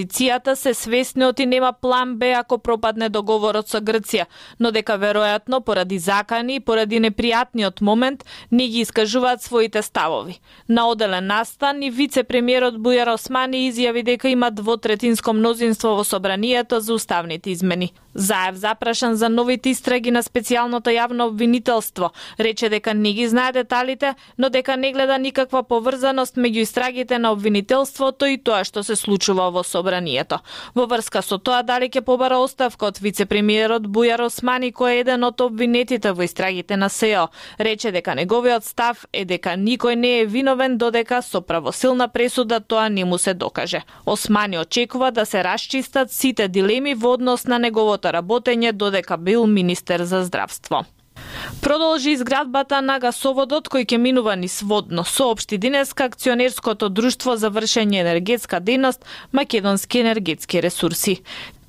Опозицијата се свесни оти нема план Б ако пропадне договорот со Грција, но дека веројатно поради закани и поради непријатниот момент не ги искажуваат своите ставови. На оделен настан и вице-премиерот Бујар Османи изјави дека има двотретинско мнозинство во собранието за уставните измени. Заев запрашан за новите истраги на специјалното јавно обвинителство, рече дека не ги знае деталите, но дека не гледа никаква поврзаност меѓу истрагите на обвинителството и тоа што се случува во собранието. Во врска со тоа дали ќе побара оставка од вице-премиерот Бујар Османи, кој е еден од обвинетите во истрагите на СЕО, рече дека неговиот став е дека никој не е виновен додека со правосилна пресуда тоа не му се докаже. Османи очекува да се расчистат сите дилеми во однос на неговото работење додека бил министер за здравство. Продолжи изградбата на гасоводот кој ќе минува низ Водно, соопшти денеска акционерското друштво за вршење енергетска дејност Македонски енергетски ресурси.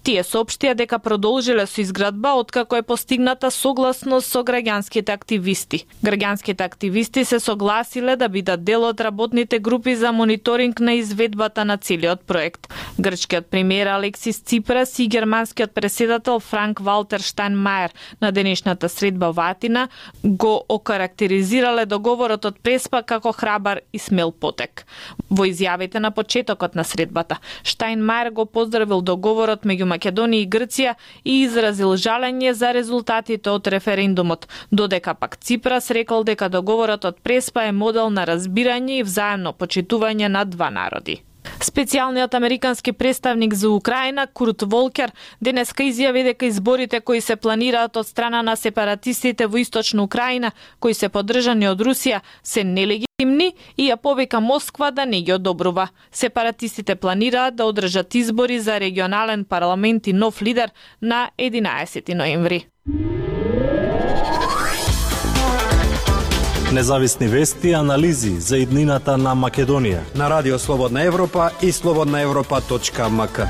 Тие соопштија дека продолжиле со изградба откако е постигната согласност со граѓанските активисти. Граѓанските активисти се согласиле да бидат дел од работните групи за мониторинг на изведбата на целиот проект. Грчкиот премиер Алексис Ципрас и германскиот преседател Франк Валтер Штајнмајер на денешната средба во Атина го окарактеризирале договорот од Преспа како храбар и смел потек. Во изјавите на почетокот на средбата, Штајнмајер го поздравил договорот меѓу Македонија и Грција и изразил жалење за резултатите од референдумот, додека пак Ципрас рекол дека договорот од Преспа е модел на разбирање и взаемно почитување на два народи. Специјалниот американски представник за Украина Курт Волкер денеска изјави дека изборите кои се планираат од страна на сепаратистите во источна Украина, кои се поддржани од Русија, се нелегитимни и ја повика Москва да не ги одобрува. Сепаратистите планираат да одржат избори за регионален парламент и нов лидер на 11 ноември. Независни вести и анализи за иднината на Македонија на Радио Слободна Европа и slobodnaevropa.mk.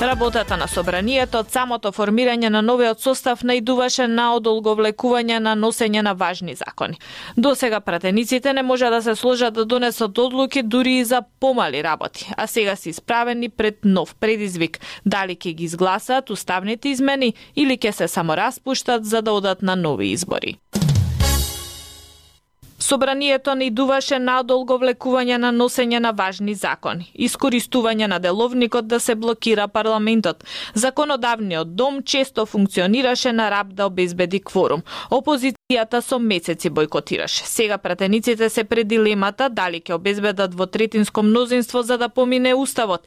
Работата на собранието од самото формирање на новиот состав наидуваше на одолговлекување на носење на важни закони. Досега пратениците не може да се сложат да донесат одлуки дури и за помали работи, а сега се исправени пред нов предизвик. Дали ќе ги изгласаат уставните измени или ќе се само распуштат за да одат на нови избори. Собранието не идуваше на одолговлекување на носење на важни закони, искористување на деловникот да се блокира парламентот. Законодавниот дом често функционираше на раб да обезбеди кворум. Опозицијата со месеци бойкотираше. Сега пратениците се пред дилемата дали ќе обезбедат двотретинско мнозинство за да помине уставот